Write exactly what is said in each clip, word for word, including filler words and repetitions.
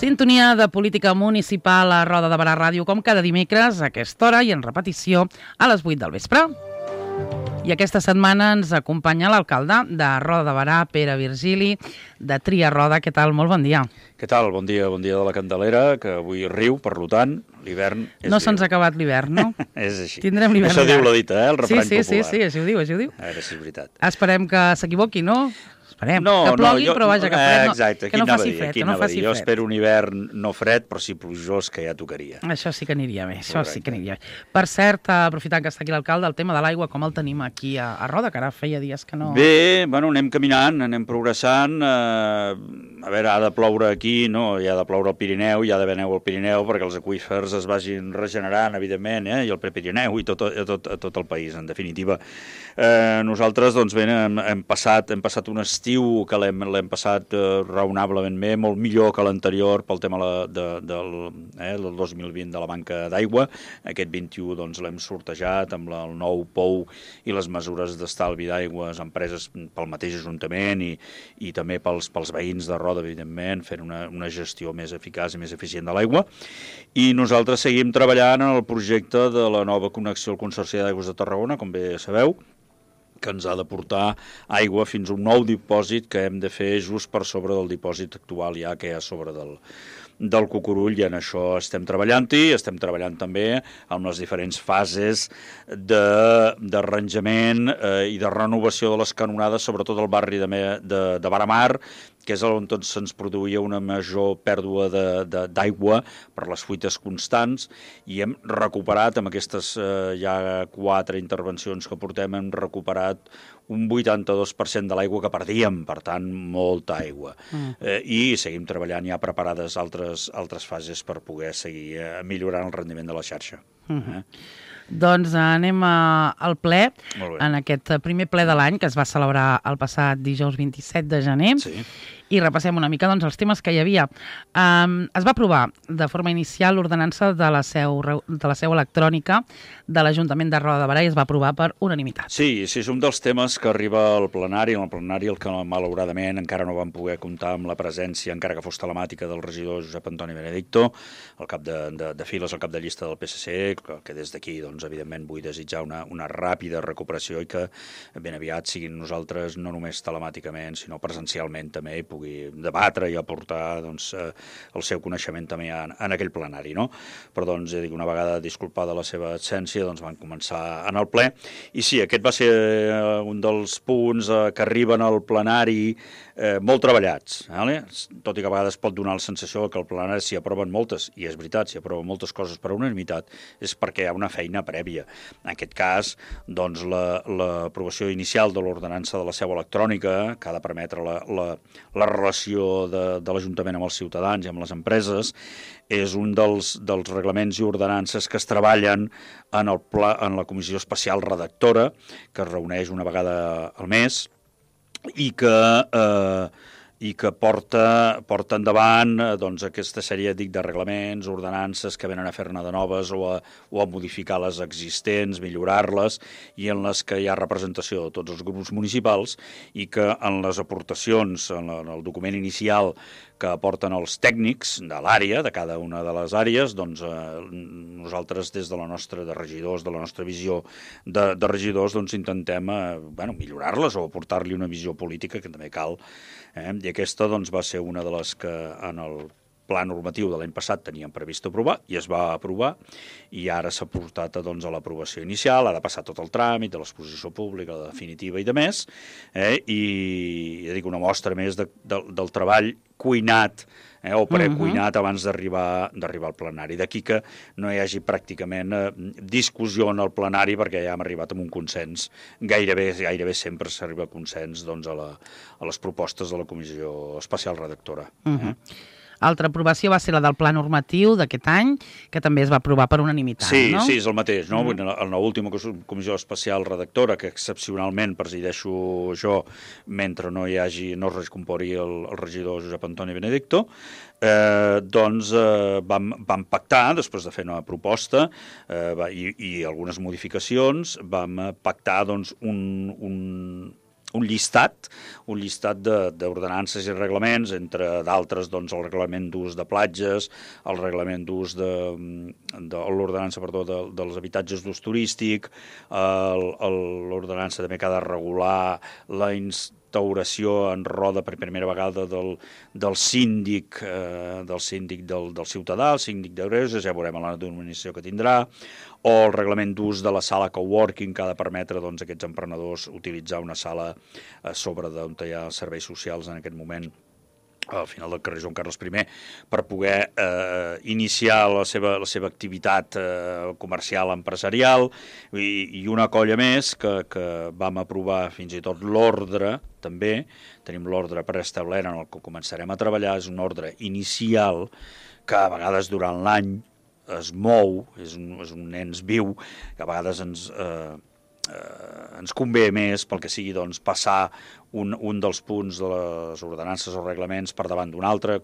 Sintonia de política municipal a Roda de Barà Ràdio, com cada dimecres a aquesta hora i en repetició a les vuit del vespre. I aquesta setmana ens acompanya l'alcalde de Roda de Barà, Pere Virgili, de Tria Roda. Què tal? Molt bon dia. Què tal? Bon dia, bon dia de la Candelera, que avui riu, per tant, l'hivern és No se'ns ha acabat l'hivern, no? És així. Tindrem l'hivern. Això diu la dita, eh? El refrany sí, sí, popular. Sí, sí, així ho diu, així ho diu. A veure si és veritat. Esperem que s'equivoqui, no? Esperem. No, que plogui, no, jo, però vaja, que fred, eh, no, exacte, que no faci dir, fred. Que no faci jo fred. espero un hivern no fred, però sí plujós, que ja tocaria. Això sí que aniria bé, això Correcte. sí que aniria bé. Per cert, aprofitant que està aquí l'alcalde, el tema de l'aigua, com el tenim aquí a, a Roda, que ara feia dies que no... Bé, bueno, anem caminant, anem progressant. Eh, a veure, ha de ploure aquí, no? Hi ha de ploure al Pirineu, hi ha d'haver neu al Pirineu perquè els aqüífers es vagin regenerant, evidentment, eh? I el Prepirineu i tot, a, tot, a tot el país, en definitiva. Eh, nosaltres, doncs bé, hem, hem, passat, hem passat un estiu que l'hem l'hem passat eh, raonablement bé, molt millor que l'anterior pel tema la, de, del, eh, del dos mil vint de la manca d'aigua. Aquest vint-i-u doncs, l'hem sortejat amb la, el nou pou i les mesures d'estalvi d'aigües empreses pel mateix Ajuntament i, i també pels, pels veïns de Roda, evidentment, fent una, una gestió més eficaç i més eficient de l'aigua. I nosaltres seguim treballant en el projecte de la nova connexió al Consorci d'Aigües de Tarragona, com bé sabeu, que ens ha de portar aigua fins a un nou dipòsit que hem de fer just per sobre del dipòsit actual ja que hi ha a sobre del, del Cucurull, i en això estem treballant-hi, estem treballant també amb les diferents fases d'arranjament eh, i de renovació de les canonades, sobretot al barri de, de, de Baramar, que és on tot se'ns produïa una major pèrdua d'aigua per les fuites constants, i hem recuperat amb aquestes eh, ja quatre intervencions que portem, hem recuperat un vuitanta-dos per cent de l'aigua que perdíem, per tant, molta aigua. Mm. Eh, I seguim treballant ja preparades altres, altres fases per poder seguir eh, millorant el rendiment de la xarxa. Mm-hmm. Eh? Doncs anem a, al ple, en aquest primer ple de l'any que es va celebrar el passat dijous vint-i-set de gener. Sí. I repassem una mica doncs, els temes que hi havia. Um, es va aprovar de forma inicial l'ordenança de, la seu, de la seu electrònica de l'Ajuntament de Roda de Barà i es va aprovar per unanimitat. Sí, sí, és un dels temes que arriba al plenari, en el plenari el que malauradament encara no vam poder comptar amb la presència, encara que fos telemàtica, del regidor Josep Antoni Benedicto, el cap de, de, de files, el cap de llista del P S C, que, que des d'aquí, doncs, evidentment, vull desitjar una, una ràpida recuperació i que ben aviat siguin nosaltres no només telemàticament, sinó presencialment també, i pugui debatre i aportar doncs, eh, el seu coneixement també en, en aquell plenari, no? Però doncs, ja dic, una vegada disculpada la seva absència, doncs van començar en el ple, i sí, aquest va ser eh, un dels punts eh, que arriben al plenari eh, molt treballats, vale? Tot i que a vegades pot donar la sensació que al plenari s'hi aproven moltes, i és veritat, s'hi aproven moltes coses per unanimitat, és perquè hi ha una feina prèvia. En aquest cas, doncs, l'aprovació la, inicial de l'ordenança de la seu electrònica, que ha de permetre la, la, la relació de, de l'Ajuntament amb els ciutadans i amb les empreses, és un dels, dels reglaments i ordenances que es treballen en, el pla, en la comissió especial redactora, que es reuneix una vegada al mes, i que, eh, i que porta, porta endavant eh, doncs, aquesta sèrie dic, de reglaments, ordenances que venen a fer-ne de noves o a, o a modificar les existents, millorar-les, i en les que hi ha representació de tots els grups municipals, i que en les aportacions, en, la, en el document inicial que aporten els tècnics de l'àrea, de cada una de les àrees, doncs eh, nosaltres des de la nostra, de regidors, de la nostra visió de, de regidors, doncs intentem eh, bueno, millorar-les o aportar-li una visió política que també cal. Eh? I aquesta doncs, va ser una de les que en el pla normatiu de l'any passat teníem previst aprovar i es va aprovar, i ara s'ha portat doncs, a l'aprovació inicial, ha de passar tot el tràmit de l'exposició pública, la definitiva i de més, eh? I ja dic, una mostra més de, de, del treball cuinat eh, o precuinat uh-huh. abans d'arribar d'arribar al plenari. D'aquí que no hi hagi pràcticament eh, discussió en el plenari, perquè ja hem arribat amb un consens. Gairebé, gairebé sempre s'arriba a consens doncs, a, la, a les propostes de la comissió especial redactora. Uh-huh. eh? Altra aprovació va ser la del pla normatiu d'aquest any, que també es va aprovar per unanimitat, sí, no? Sí, és el mateix, no? Mm. En l'última comissió especial redactora, que excepcionalment presideixo jo, mentre no hi hagi, no es recompori el, el regidor Josep Antoni Benedicto, eh, doncs eh, vam, vam pactar, després de fer una proposta eh, va, i, i algunes modificacions, vam pactar doncs, un... un un llistat, un llistat d'ordenances i reglaments, entre d'altres doncs, el reglament d'ús de platges, el reglament d'ús de, de l'ordenança perdó, de, dels habitatges d'ús turístic, l'ordenança també que ha de regular la instauració en roda per primera vegada del, del síndic, eh, del síndic del, del ciutadà, el síndic de Greuges, ja veurem la denominació que tindrà, o el reglament d'ús de la sala coworking que ha de permetre doncs, a aquests emprenedors utilitzar una sala a sobre d'on hi ha serveis socials en aquest moment al final del carrer Joan Carles primer, per poder eh, iniciar la seva, la seva activitat eh, comercial empresarial i, i una colla més que, que vam aprovar fins i tot l'ordre, també, tenim l'ordre preestablert en el que començarem a treballar, és un ordre inicial que a vegades durant l'any es mou, és un, és un ens viu, que a vegades ens... Eh, Eh, ens convé més pel que sigui doncs, passar un, un dels punts de les ordenances o reglaments per davant d'un altre.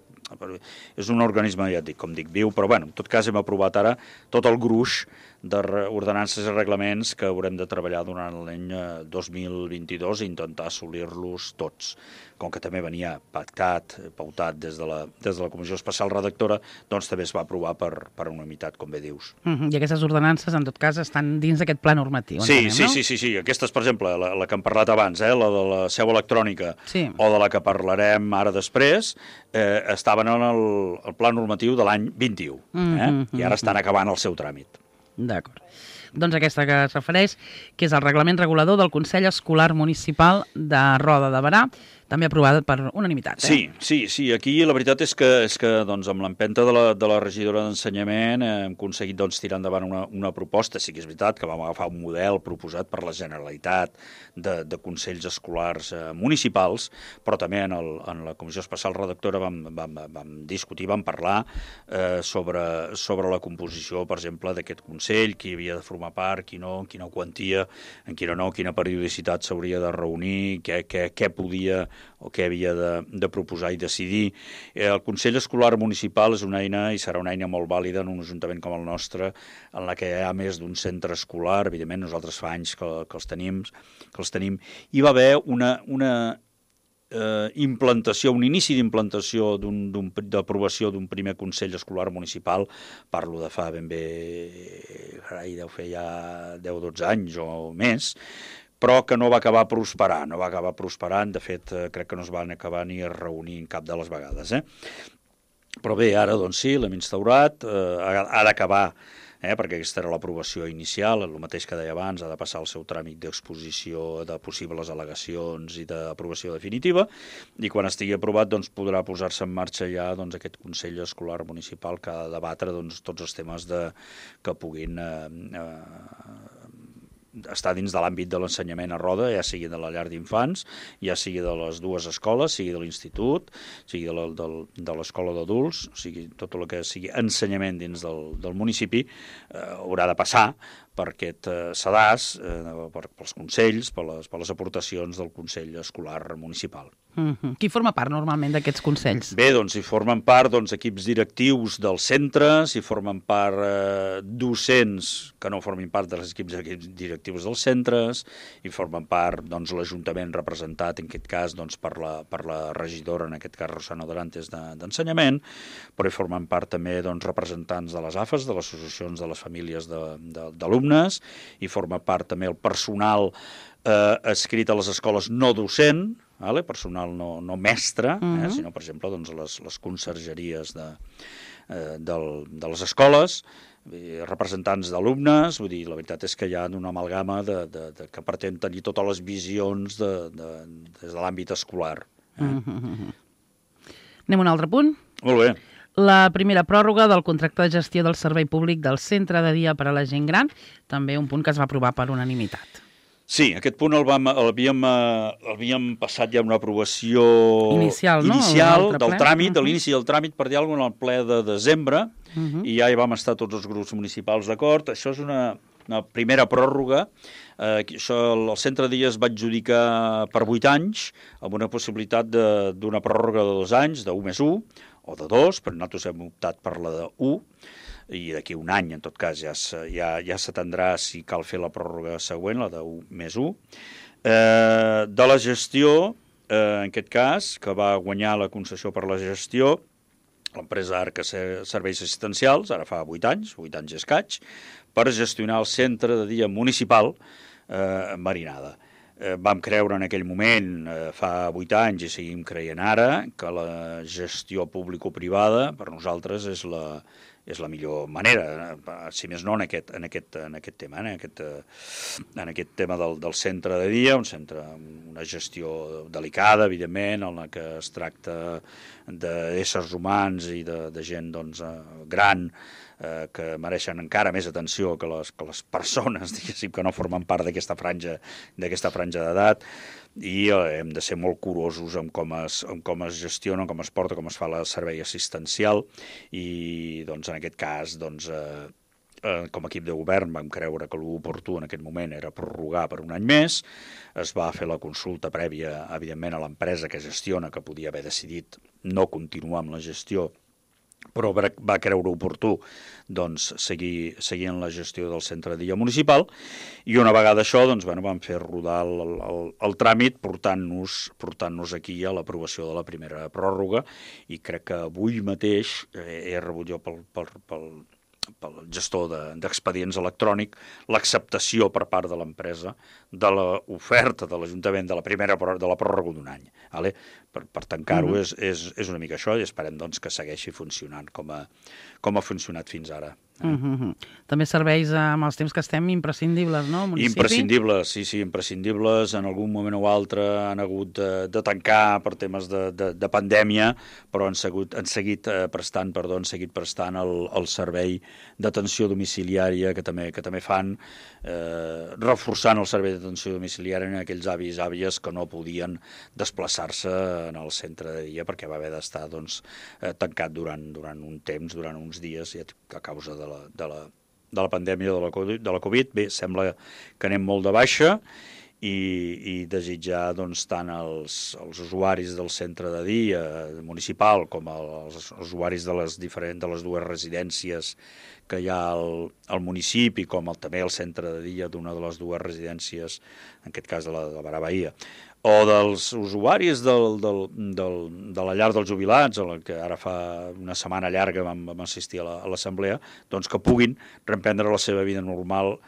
És un organisme, ja et dic, com dic, viu, però bueno, en tot cas hem aprovat ara tot el gruix d'ordenances i reglaments que haurem de treballar durant l'any dos mil vint-i-dos i intentar assolir-los tots. Com que també venia pactat, pautat des de la, des de la Comissió Especial Redactora, doncs també es va aprovar per, per unanimitat, com bé dius. Uh-huh. I aquestes ordenances, en tot cas, estan dins d'aquest pla normatiu. Sí, entenem, sí, no? sí, sí, sí. Aquestes, per exemple, la, la que hem parlat abans, eh, la de la seu electrònica, sí. o de la que parlarem ara després, eh, estaven en el, el pla normatiu de l'any vint-i-u, eh? Uh-huh. I ara estan acabant el seu tràmit. D'acord. Doncs aquesta que es refereix, que és el reglament regulador del Consell Escolar Municipal de Roda de Berà, també aprovada per unanimitat. Eh? Sí, sí, sí. Aquí la veritat és que, és que doncs, amb l'empenta de, la, de la regidora d'Ensenyament eh, hem aconseguit doncs, tirar endavant una, una proposta. Sí que és veritat que vam agafar un model proposat per la Generalitat de, de Consells Escolars eh, Municipals, però també en, el, en la Comissió Especial Redactora vam, vam, vam discutir, vam parlar eh, sobre, sobre la composició, per exemple, d'aquest Consell, qui havia de formar part, qui no, quina quantia, en quina no, quina periodicitat s'hauria de reunir, què, què, què podia o què havia de, de proposar i decidir. El Consell Escolar Municipal és una eina i serà una eina molt vàlida en un ajuntament com el nostre, en la que hi ha més d'un centre escolar, evidentment nosaltres fa anys que, que, els, tenim, que els tenim. Hi va haver una, una eh, implantació, un inici d'implantació d'aprovació d'un primer Consell Escolar Municipal, parlo de fa ben bé, carai, deu fer ja deu o dotze anys o més, però que no va acabar prosperant, no va acabar prosperant, de fet, eh, crec que no es van acabar ni a reunir en cap de les vegades. Eh? Però bé, ara, doncs sí, l'hem instaurat, eh, ha, ha d'acabar, eh, perquè aquesta era l'aprovació inicial, el mateix que deia abans, ha de passar el seu tràmit d'exposició de possibles al·legacions i d'aprovació definitiva, i quan estigui aprovat doncs, podrà posar-se en marxa ja doncs, aquest Consell Escolar Municipal que ha de debatre doncs, tots els temes de, que puguin... Eh, eh, està dins de l'àmbit de l'ensenyament a Roda, ja sigui de la llar d'infants, ja sigui de les dues escoles, sigui de l'institut, sigui de, la, de, de l'escola d'adults, o sigui, tot el que sigui ensenyament dins del, del municipi, eh, haurà de passar per aquest eh, sedàs, eh, per, pels consells, per les, per les aportacions del Consell Escolar Municipal. Mm-hmm. Qui forma part normalment d'aquests consells? Bé, doncs hi formen part doncs, equips directius dels centres, hi formen part eh, docents que no formin part dels equips, equips directius dels centres, hi formen part doncs, l'Ajuntament representat, en aquest cas, doncs, per, la, per la regidora, en aquest cas Rosana Dorantes, d'Ensenyament, de, però hi formen part també doncs, representants de les A F Es, de les associacions de les famílies d'alumnes, hi forma part també el personal eh, escrit a les escoles no docent, vale? Personal no, no mestre, uh-huh. eh, sinó, per exemple, doncs, les, les consergeries de, eh, del, de les escoles, eh, representants d'alumnes, vull dir, la veritat és que hi ha una amalgama de, de, de, que pretén tenir totes les visions de, de, des de l'àmbit escolar. Eh? Uh-huh. Anem a un altre punt? Molt bé. La primera pròrroga del contracte de gestió del servei públic del centre de dia per a la gent gran, també un punt que es va aprovar per unanimitat. Sí, aquest punt el vam, el havíem, el havíem passat ja una aprovació inicial, no? inicial del tràmit, de l'inici del tràmit, per dir alguna cosa, en el ple de desembre, uh-huh. i ja hi vam estar tots els grups municipals d'acord. Això és una, una primera pròrroga. Eh, això, el centre de dia es va adjudicar per vuit anys, amb una possibilitat d'una pròrroga de dos anys, de u més u, o de dos, però nosaltres hem optat per la de u, i d'aquí un any, en tot cas, ja, ja, ja s'atendrà si cal fer la pròrroga següent, la de u més u. Eh, de la gestió, eh, en aquest cas, que va guanyar la concessió per la gestió, l'empresa Arca Serveis Assistencials, ara fa vuit anys, vuit anys i escaig, per gestionar el centre de dia municipal eh, Marinada. Eh, vam creure en aquell moment, eh, fa vuit anys, i seguim creient ara, que la gestió público-privada per nosaltres és la, és la millor manera, si més no en aquest, en aquest, en aquest tema, en aquest, en aquest tema del, del centre de dia, un centre, una gestió delicada, evidentment, en la que es tracta d'éssers humans i de, de gent doncs, gran, eh, que mereixen encara més atenció que les, que les persones, diguéssim, que no formen part d'aquesta franja, d'aquesta franja d'edat, i hem de ser molt curosos amb com es, amb com es gestiona, com es porta, com es fa el servei assistencial, i doncs, en aquest cas, doncs, eh, eh, com a equip de govern vam creure que l'oportú en aquest moment era prorrogar per un any més. Es va fer la consulta prèvia, evidentment, a l'empresa que gestiona, que podia haver decidit no continuar amb la gestió, però va creure oportú doncs, seguir, seguir en la gestió del centre de dia municipal, i una vegada això doncs, bueno, vam fer rodar el, el, el tràmit portant-nos portant-nos aquí a l'aprovació de la primera pròrroga, i crec que avui mateix eh, he rebut jo pel, pel, pel, pel gestor d'expedients de, electrònic l'acceptació per part de l'empresa de l'oferta de l'Ajuntament de la primera de la pròrroga d'un any. Vale? Per, per tancar-ho mm-hmm. és, és, és una mica això, i esperem doncs, que segueixi funcionant com a, com ha funcionat fins ara. Mm-hmm. També serveis amb els temps que estem imprescindibles, no? Municipi? Imprescindibles, sí, sí, imprescindibles. En algun moment o altre han hagut de, de tancar per temes de, de, de pandèmia, però han, segut, han seguit eh, prestant, perdó, han seguit prestant el, el servei d'atenció domiciliària que també, que també fan, eh, reforçant el servei d'atenció domiciliària en aquells avis i àvies que no podien desplaçar-se en el centre de dia perquè va haver d'estar doncs, eh, tancat durant, durant un temps, durant uns dies, a causa de la, de la, de la pandèmia de la, de la Covid. Bé, sembla que anem molt de baixa, i, i desitjar doncs, tant els, els usuaris del centre de dia municipal com els, els usuaris de les, diferents, de les dues residències que hi ha al, al municipi, com el, també el centre de dia d'una de les dues residències, en aquest cas de la, de la Barà Bahia, o dels usuaris del, del, del, de la llar dels jubilats, a la que ara fa una setmana llarga vam, vam assistir a l'assemblea, doncs que puguin reprendre la seva vida normal,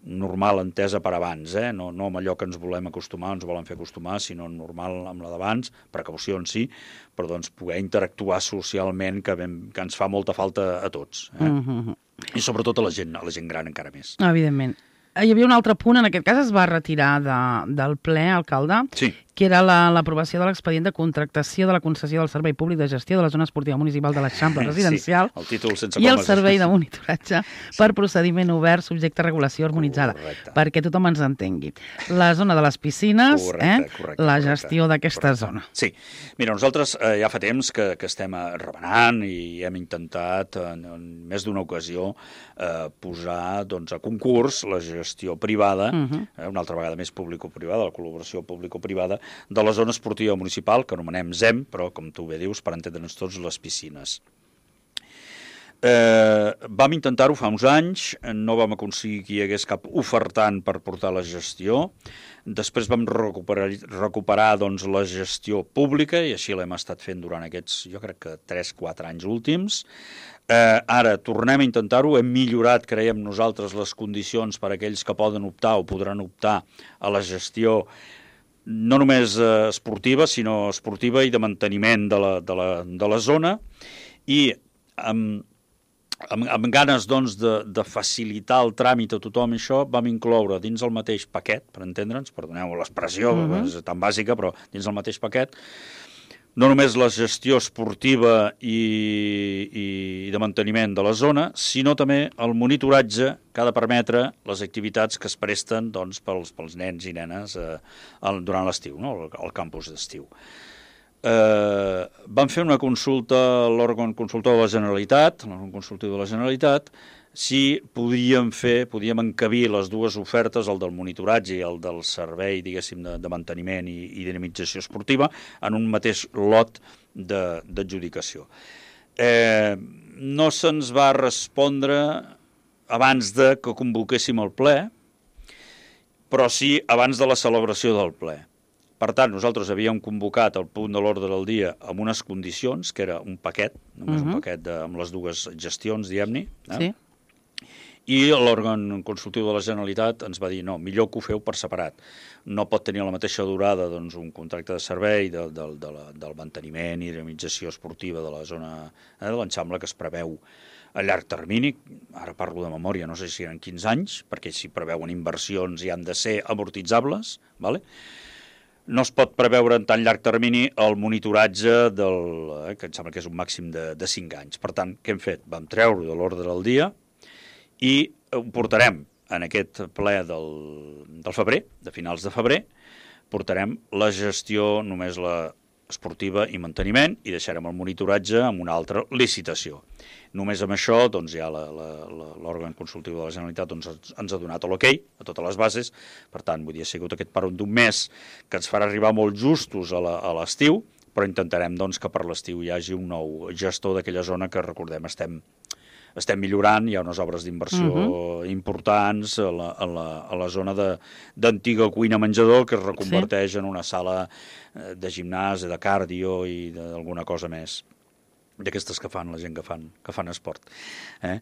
normal entesa per abans, eh? no, no amb allò que ens volem acostumar, ens volen fer acostumar, sinó normal amb la d'abans, precaucions sí, però doncs poder interactuar socialment, que, ben, que ens fa molta falta a tots. Eh? Mm-hmm. I sobretot a la gent, a la gent gran encara més. Evidentment. Hi havia un altre punt, en aquest cas es va retirar de, del ple, alcalde, sí. que era l'aprovació la, de l'expedient de contractació de la concessió del Servei Públic de Gestió de la Zona Esportiva Municipal de l'Eixample Residencial, sí, el títol sense i el Servei de Monitoratge per procediment obert subjecte a regulació harmonitzada, correcte. Perquè tothom ens entengui. La zona de les piscines, correcte, eh? correcte, la gestió d'aquesta zona. Sí, mira, nosaltres eh, ja fa temps que, que estem remenant i hem intentat en, en més d'una ocasió eh, posar doncs, a concurs la gestió privada, uh-huh. eh, una altra vegada més público-privada, la col·laboració público-privada, de la zona esportiva municipal, que anomenem Z E M, però, com tu bé dius, per entendre'ns tots, les piscines. Eh, vam intentar-ho fa uns anys, no vam aconseguir que hi hagués cap ofertant per portar la gestió. Després vam recuperar, recuperar doncs, la gestió pública, i així l'hem estat fent durant aquests, jo crec que tres quatre anys últims. Eh, ara tornem a intentar-ho, hem millorat, creiem nosaltres, les condicions per a aquells que poden optar o podran optar a la gestió no només eh, esportiva, sinó esportiva i de manteniment de la, de la, de la zona, i amb, amb, amb ganes doncs, de, de facilitar el tràmit a tothom, això vam incloure dins el mateix paquet, per entendre'ns, perdoneu l'expressió, mm-hmm. és tan bàsica, però dins el mateix paquet, no només la gestió esportiva i, i de manteniment de la zona, sinó també el monitoratge que ha de permetre les activitats que es presten doncs, pels, pels nens i nenes eh, durant l'estiu, no? al, al campus d'estiu. Eh, vam fer una consulta a l'òrgan consultor de la Generalitat, l'òrgan consultiu de la Generalitat, si podíem fer, podíem encabir les dues ofertes, el del monitoratge i el del servei, diguéssim, de, de manteniment i, i dinamització esportiva, en un mateix lot d'adjudicació. Eh, no se'ns va respondre abans de que convoquéssim el ple, però sí abans de la celebració del ple. Per tant, nosaltres havíem convocat el punt de l'ordre del dia amb unes condicions, que era un paquet, només uh-huh. un paquet de, amb les dues gestions, diguem-ne, eh? Sí. I l'òrgan consultiu de la Generalitat ens va dir no, millor que ho feu per separat. No pot tenir la mateixa durada doncs, un contracte de servei de, de, de la, del manteniment i dinamització esportiva de la zona eh, de l'Enxamble que es preveu a llarg termini, ara parlo de memòria, no sé si eren quinze anys, perquè si preveuen inversions i han de ser amortitzables, ¿vale? No es pot preveure en tan llarg termini el monitoratge del, eh, que em sembla que és un màxim de, de cinc anys. Per tant, què hem fet? Vam treure de l'ordre del dia i ho portarem en aquest ple del, del febrer, de finals de febrer, portarem la gestió, només la esportiva i manteniment, i deixarem el monitoratge amb una altra licitació. Només amb això, doncs, ja l'òrgan consultiu de la Generalitat doncs, ens ha donat l'ok a totes les bases, per tant, vull dir, ha sigut aquest paron d'un mes que ens farà arribar molt justos a l'estiu, però intentarem doncs, que per l'estiu hi hagi un nou gestor d'aquella zona que, recordem, estem estem millorant, hi ha unes obres d'inversió uh-huh. importants a la, a la, a la zona d'antiga cuina-menjador que es reconverteix sí. en una sala de gimnàs, de cardio i d'alguna cosa més d'aquestes que fan la gent que fan, que fan esport. Eh?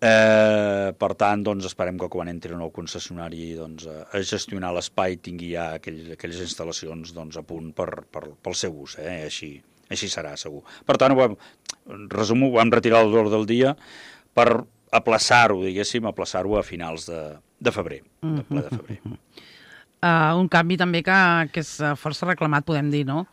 Eh, per tant, doncs, esperem que quan entri el nou concessionari doncs, a gestionar l'espai tingui ja aquell, aquelles instal·lacions doncs, a punt per, per, pel seu ús, eh? així, així serà segur. Per tant, ho vam, resumo, ho vam retirar l'ordre del dia per aplaçar-ho, diguéssim, aplaçar-ho a finals de, de febrer, de ple de febrer. Uh, un canvi també que, que és força reclamat, podem dir, no?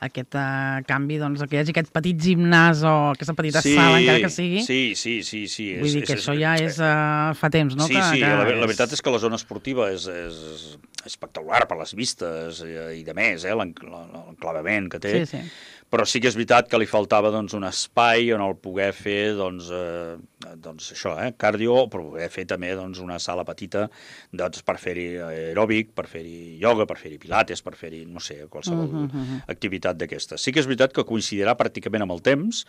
Aquest uh, canvi, doncs, que hi hagi aquest petit gimnàs o aquesta petita sí, sala, encara que sigui. Sí, sí, sí. sí. Vull és, dir que és, això ja és uh, fa temps, no? Sí, que, sí, que la, és... la veritat és que la zona esportiva és, és espectacular per les vistes i, i de més, eh, l'enclavament que té. Sí, sí. Però sí que és veritat que li faltava doncs, un espai on el poder fer doncs, eh, doncs això, eh, cardio, però poder fer també doncs, una sala petita doncs, per fer-hi aeròbic, per fer-hi ioga, per fer-hi pilates, per fer-hi, no sé, qualsevol uh -huh, uh -huh. activitat d'aquestes. Sí que és veritat que coincidirà pràcticament amb el temps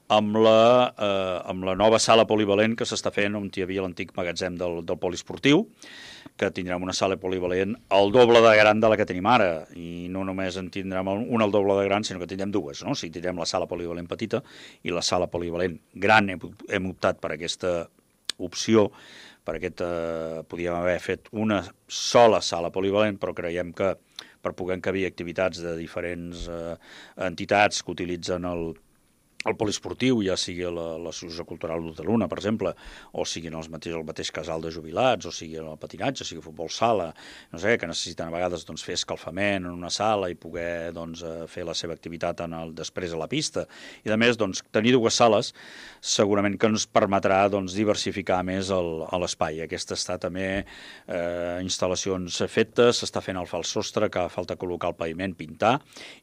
amb la, eh, amb la nova sala polivalent que s'està fent on hi havia l'antic magatzem del, del poliesportiu, que tindrem una sala polivalent al doble de gran de la que tenim ara, i no només en tindrem una al doble de gran, sinó que tindrem dues, no? O sigui, tindrem la sala polivalent petita i la sala polivalent gran. Hem, hem optat per aquesta opció, per aquesta, podíem haver fet una sola sala polivalent, però creiem que per poder encabir activitats de diferents eh, entitats que utilitzen el el poliesportiu, ja sigui l'Associació Cultural d'Hoteluna, per exemple, o siguin els mateix, el mateix casal de jubilats, o sigui el patinatge, o sigui futbol sala, no sé, que necessiten a vegades doncs, fer escalfament en una sala i poder doncs, fer la seva activitat en el, després a la pista. I a més, doncs, tenir dues sales segurament que ens permetrà doncs, diversificar més l'espai. Aquesta està també eh, instal·lacions fetes, s'està fent el fals sostre, que falta col·locar el paviment, pintar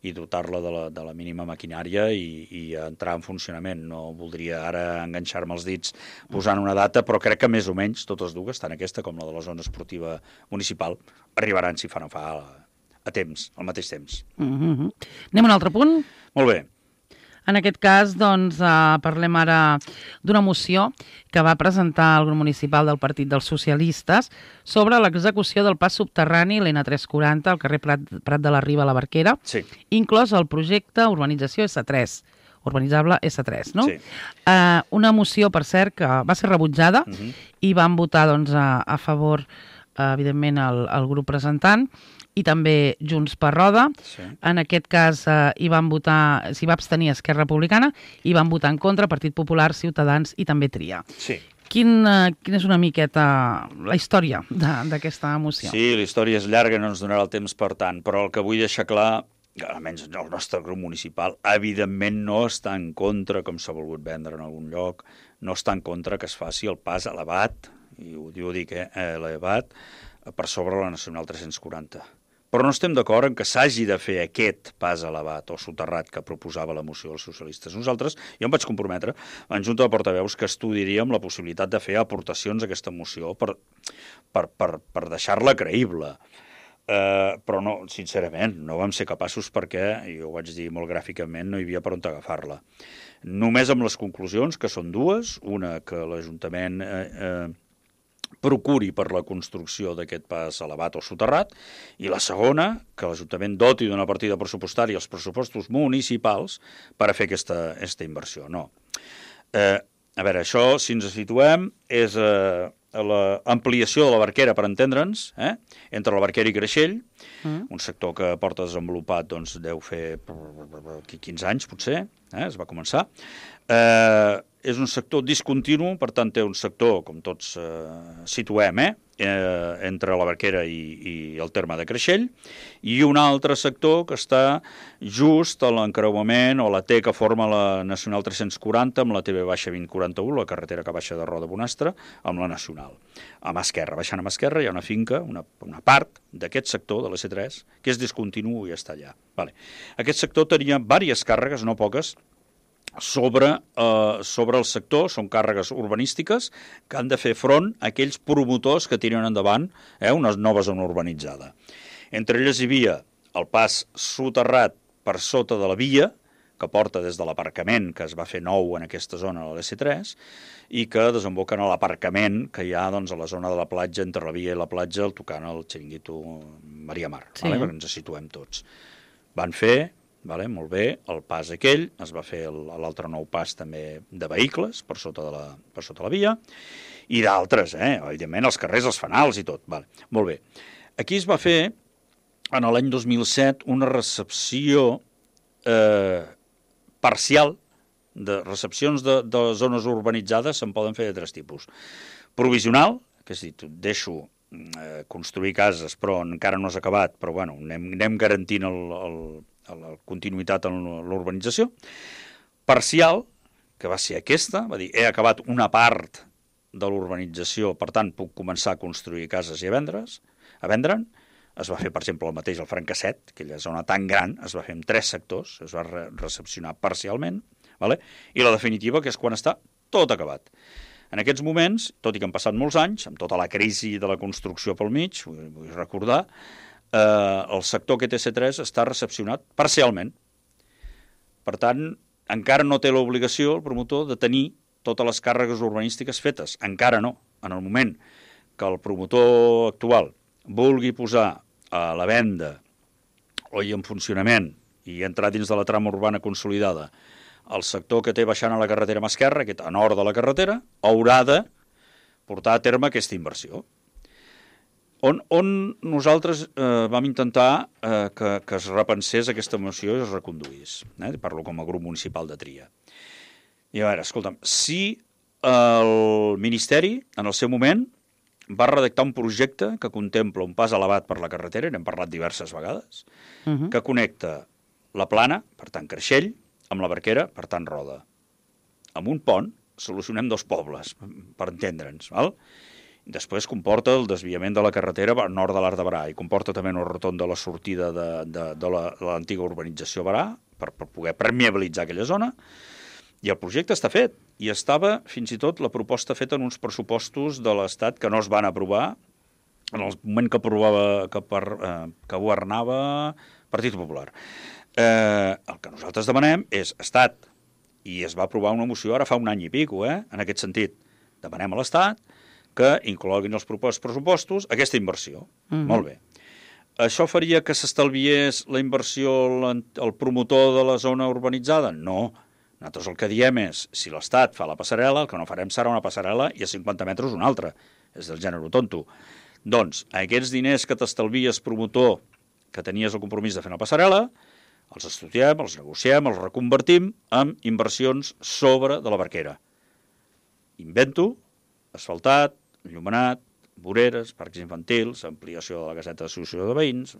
i dotar-la de, la, de la mínima maquinària i, i entrar en funcionament. No voldria ara enganxar-me els dits posant una data, però crec que més o menys totes dues, tant aquesta com la de la zona esportiva municipal, arribaran, si fa no fa, a, a temps, al mateix temps. Mm-hmm. Anem a un altre punt? Molt bé. En aquest cas, doncs, eh, parlem ara d'una moció que va presentar el grup municipal del Partit dels Socialistes sobre l'execució del pas subterrani l'N tres cents quaranta al carrer Prat, Prat de la Riba a la Barquera, sí. inclòs el projecte urbanització essa tres. Urbanitzable essa tres, no? Sí. Uh, una moció, per cert, que va ser rebutjada uh-huh. i van votar doncs, a, a favor, uh, evidentment, el, el grup presentant i també Junts per Roda. Sí. En aquest cas uh, hi van votar, s'hi va abstenir Esquerra Republicana i van votar en contra Partit Popular, Ciutadans i també Tria. Sí. Quin, uh, quina és una miqueta la història d'aquesta moció? Sí, la història és llarga, no ens donarà el temps per tant, però el que vull deixar clar, almenys el nostre grup municipal, evidentment no està en contra, com s'ha volgut vendre en algun lloc, no està en contra que es faci el pas elevat, i ho, ho dic, eh, elevat, per sobre la Nacional tres-cents quaranta. Però no estem d'acord en que s'hagi de fer aquest pas elevat o soterrat que proposava la moció dels socialistes. Nosaltres, jo em vaig comprometre en Junta de Portaveus que estudiaríem la possibilitat de fer aportacions a aquesta moció per, per, per, per deixar-la creïble. Uh, però no, sincerament, no vam ser capaços perquè, i ho vaig dir molt gràficament, no hi havia per on agafar-la. Només amb les conclusions, que són dues, una que l'Ajuntament eh, eh, procuri per la construcció d'aquest pas elevat o soterrat, i la segona, que l'Ajuntament doti d'una partida pressupostària als pressupostos municipals per a fer aquesta, aquesta inversió. No. Eh, a veure, això, si ens situem, és eh, l'ampliació de la Barquera, per entendre'ns, eh, entre la Barquera i Creixell, mm. un sector que porta desenvolupat, doncs, deu fer quinze anys, potser, eh, es va començar. Eh, és un sector discontinu, per tant té un sector, com tots eh, situem, eh, eh, entre la Barquera i, i el terme de Creixell, i un altre sector que està just a l'encreuament o la T que forma la Nacional tres-cents quaranta amb la T V baixa vint quaranta-u, la carretera que baixa de Roda a Bonastre, amb la Nacional. A mà esquerra, baixant a mà esquerra, hi ha una finca, una, una part d'aquest sector, de la C tres, que és discontinu i està allà. Vale. Aquest sector tenia diverses càrregues, no poques, sobre, eh, sobre el sector, són càrregues urbanístiques que han de fer front a aquells promotors que tiren endavant eh, una nova zona urbanitzada. Entre elles hi havia el pas soterrat per sota de la via, que porta des de l'aparcament que es va fer nou en aquesta zona de la C tres i que desemboquen a l'aparcament que hi ha doncs, a la zona de la platja, entre la via i la platja, el tocant al xiringuito Maria Mar, sí. Vale? Perquè ens situem tots. Van fer... Vale, molt bé, el pas aquell, es va fer l'altre nou pas també de vehicles per sota de la, per sota la via, i d'altres, eh? Evidentment els carrers, els fanals i tot. Vale, molt bé. Aquí es va fer, en l'any dos mil set, una recepció eh, parcial, de recepcions de, de zones urbanitzades se'n poden fer de tres tipus. Provisional, que és dir, deixo eh, construir cases, però encara no has acabat, però bueno, anem, anem garantint el, el la continuïtat en l'urbanització. Parcial, que va ser aquesta, va dir, he acabat una part de l'urbanització, per tant, puc començar a construir cases i a vendre's, a vendre'n. Es va fer, per exemple, el mateix al Francasset, aquella zona tan gran, es va fer en tres sectors, es va re recepcionar parcialment, vale? I la definitiva, que és quan està tot acabat. En aquests moments, tot i que han passat molts anys, amb tota la crisi de la construcció pel mig, vull, vull recordar, Eh, el sector que té C tres està recepcionat parcialment. Per tant, encara no té l'obligació el promotor de tenir totes les càrregues urbanístiques fetes. Encara no. En el moment que el promotor actual vulgui posar a la venda o en funcionament i entrar dins de la trama urbana consolidada el sector que té baixant a la carretera mà esquerra, aquest a nord de la carretera, haurà de portar a terme aquesta inversió. On, on nosaltres eh, vam intentar eh, que, que es repensés aquesta moció i es reconduís. Eh? Parlo com a grup municipal de Tria. I a veure, escolta'm, si el Ministeri, en el seu moment, va redactar un projecte que contempla un pas elevat per la carretera, n'hem parlat diverses vegades, uh -huh. que connecta la Plana, per tant Creixell, amb la Barquera, per tant Roda. Amb un pont solucionem dos pobles, per entendre'ns, val? Després comporta el desviament de la carretera al nord de l'Arc de Berà i comporta també una rotonda de la sortida de, de, de l'antiga urbanització Berà per, per poder permeabilitzar aquella zona. I el projecte està fet. I estava, fins i tot, la proposta feta en uns pressupostos de l'Estat que no es van aprovar en el moment que, aprovava, que, per, eh, que governava Partit Popular. Eh, el que nosaltres demanem és Estat. I es va aprovar una moció ara fa un any i pico, eh? En aquest sentit. Demanem a l'Estat que incloguin els propers pressupostos aquesta inversió. Mm-hmm. Molt bé. Això faria que s'estalviés la inversió el promotor de la zona urbanitzada? No. Nosaltres el que diem és, si l'Estat fa la passarel·la, el que no farem serà una passarel·la i a cinquanta metres una altra. És del gènere tonto. Doncs, aquests diners que t'estalvies promotor, que tenies el compromís de fer una passarel·la, els estudiem, els negociem, els reconvertim en inversions sobre de la Barquera. Invento, asfaltat, enllumenat, voreres, parcs infantils, ampliació de la caseta d'associació de veïns,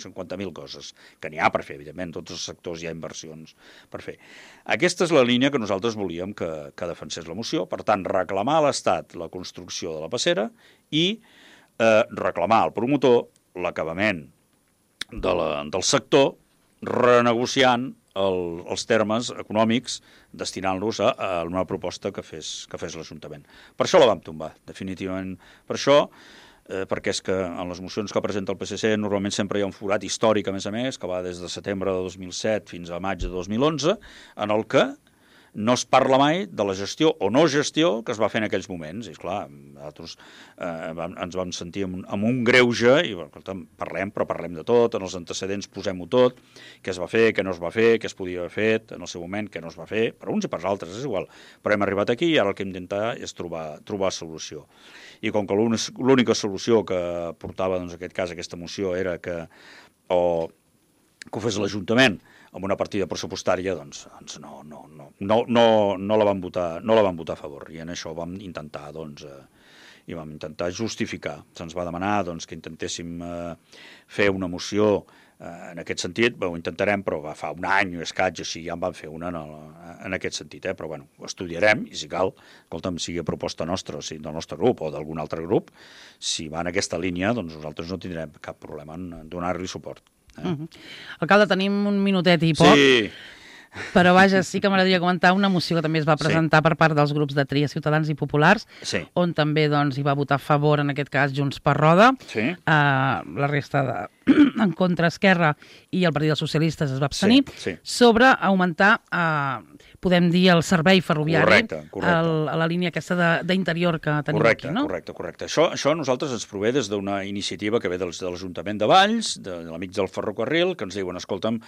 cinquanta mil coses, que n'hi ha per fer, evidentment, tots els sectors hi ha inversions per fer. Aquesta és la línia que nosaltres volíem que, que defensés la moció, per tant, reclamar a l'Estat la construcció de la passera i eh, reclamar al promotor l'acabament de la, del sector renegociant el, els termes econòmics destinant-los a, a una proposta que fes, que fes l'Ajuntament. Per això la vam tombar, definitivament. Per això, eh, perquè és que en les mocions que presenta el P S C normalment sempre hi ha un forat històric, a més a més, que va des de setembre de dos mil set fins a maig de dos mil onze, en el que no es parla mai de la gestió o no gestió que es va fer en aquells moments. I, esclar, nosaltres eh, vam, ens vam sentir amb, amb un greuge i, escolta, parlem, però parlem de tot, en els antecedents posem-ho tot, què es va fer, què no es va fer, què es podia haver fet en el seu moment, què no es va fer, per uns i per altres, és igual. Però hem arribat aquí i ara el que hem d'intentar és trobar, trobar solució. I com que l'única solució que portava, doncs, en aquest cas, aquesta moció era que, o, que ho fes l'Ajuntament amb una partida pressupostària, doncs, doncs no, no, no, no, no, no, la van votar, no la van votar a favor. I en això vam intentar, doncs, eh, i vam intentar justificar. Se'ns va demanar, doncs, que intentéssim eh, fer una moció eh, en aquest sentit. Bé, ho intentarem, però va fa un any o escaig, així ja en vam fer una en, el, en aquest sentit, eh? Però bueno, ho estudiarem i si cal, escolta'm, sigui a proposta nostra, o sigui, del nostre grup o d'algun altre grup, si va en aquesta línia, doncs nosaltres no tindrem cap problema en donar-li suport. Eh? Uh-huh. Alcalde, tenim un minutet i poc, sí. Però vaja, sí que m'agradaria comentar una moció que també es va presentar sí. per part dels grups de Tria Ciutadans i Populars, sí. on també doncs, hi va votar a favor, en aquest cas, Junts per Roda, sí. uh, la resta de en contra Esquerra i el Partit dels Socialistes es va abstenir, sí, sí. sobre augmentar, uh, podem dir, el servei ferroviari correcte, correcte. El, a la línia aquesta d'interior que tenim correcte, aquí, no? Correcte, correcte. Això, això a nosaltres ens prové des d'una iniciativa que ve dels, de l'Ajuntament de Valls, de, de l'Amics del Ferrocarril, que ens diuen, escolta'm,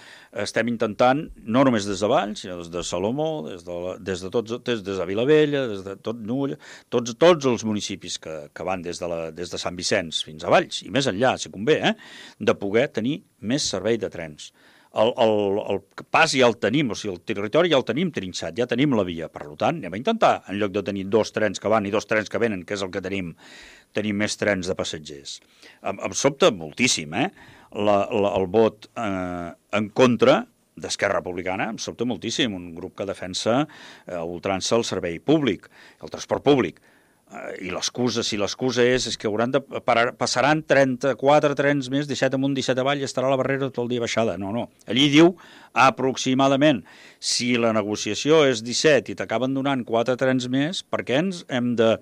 estem intentant, no només des de Valls, sinó des de Salomó, des de, la, des de, tots, des, des de Vilavella, des de tot Nulla, tots, tots els municipis que, que van des de, la, des de Sant Vicenç fins a Valls, i més enllà, si convé, eh, de poder tenir més servei de trens. El, el, el pas ja el tenim, o sigui, el territori ja el tenim trinxat, ja tenim la via. Per tant, anem a intentar, en lloc de tenir dos trens que van i dos trens que venen, que és el que tenim, tenim més trens de passatgers. Em, em sobta moltíssim, eh? La, la, el vot eh, en contra d'Esquerra Republicana, em sobta moltíssim, un grup que defensa eh, a ultrança el servei públic, el transport públic. I l'excusa, si l'excusa és, és que hauran de parar, passaran trenta-quatre trens més, disset amunt, disset avall, i estarà la barrera tot el dia baixada. No, no. Allí diu aproximadament. Si la negociació és disset i t'acaben donant quatre trens més, per què ens hem de,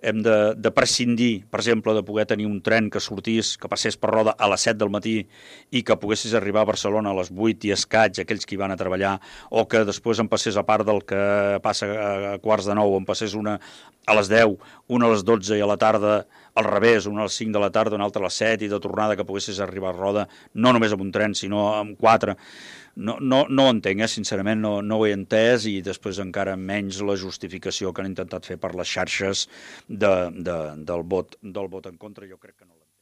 hem de, de prescindir, per exemple, de poder tenir un tren que sortís, que passés per Roda a les set del matí i que poguessis arribar a Barcelona a les vuit i escaig, aquells que hi van a treballar, o que després em passés, a part del que passa a quarts de nou, em passés una a les deu, una a les dotze i a la tarda al revés, una a les cinc de la tarda, una altra a les set i de tornada que poguessis arribar a Roda, no només amb un tren, sinó amb quatre. No, no, no ho entenc, eh? Sincerament no, no ho he entès, i després encara menys la justificació que han intentat fer per les xarxes de, de, del, vot, del vot en contra. Jo crec que no la